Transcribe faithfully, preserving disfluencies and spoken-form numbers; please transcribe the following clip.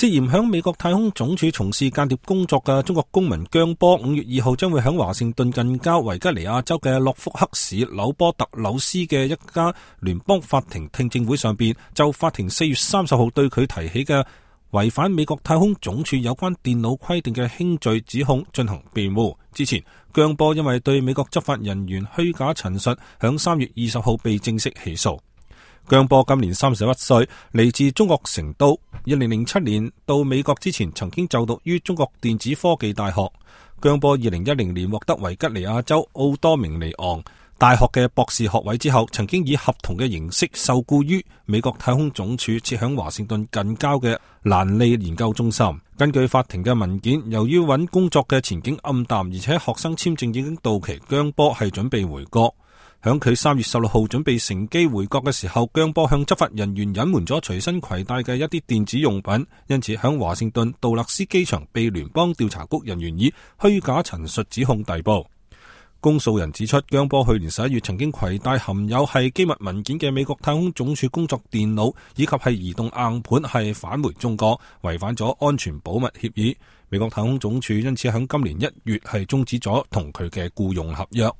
涉嫌響美國太空總署從事間諜工作嘅中國公民姜波，五月二號將會響華盛頓近郊維吉尼亞州嘅諾福克市紐波特紐斯嘅一家聯邦法庭聽證會上邊，就法庭四月三十號對佢提起嘅違反美國太空總署有關電腦規定嘅輕罪指控進行辯護。之前，姜波因為對美國執法人員虛假陳述，響三月二十號被正式起訴。姜波今年三十一歲，嚟自中國成都。二零零七年到美國之前，曾經就讀於中國電子科技大學。姜波二零一零年獲得維吉尼亞州奧多明尼昂大學嘅博士學位之後，曾經以合同嘅形式受僱於美國太空總署設響華盛頓近郊嘅蘭利研究中心。根據法庭嘅文件，由於揾工作嘅前景暗淡，而且學生簽證已經到期，姜波係準備回國。響佢三月十六號準備乘機回國嘅時候，姜波向執法人員隱瞞咗隨身攜帶嘅一啲電子用品，因此響華盛頓杜勒斯機場被聯邦調查局人員以虛假陳述指控逮捕。公訴人指出，姜波去年十一月曾經攜帶含有係機密文件嘅美國太空總署工作電腦以及係移動硬盤係返回中國，違反咗安全保密協議。美國太空總署因此響今年一月係終止咗同佢嘅僱傭合約。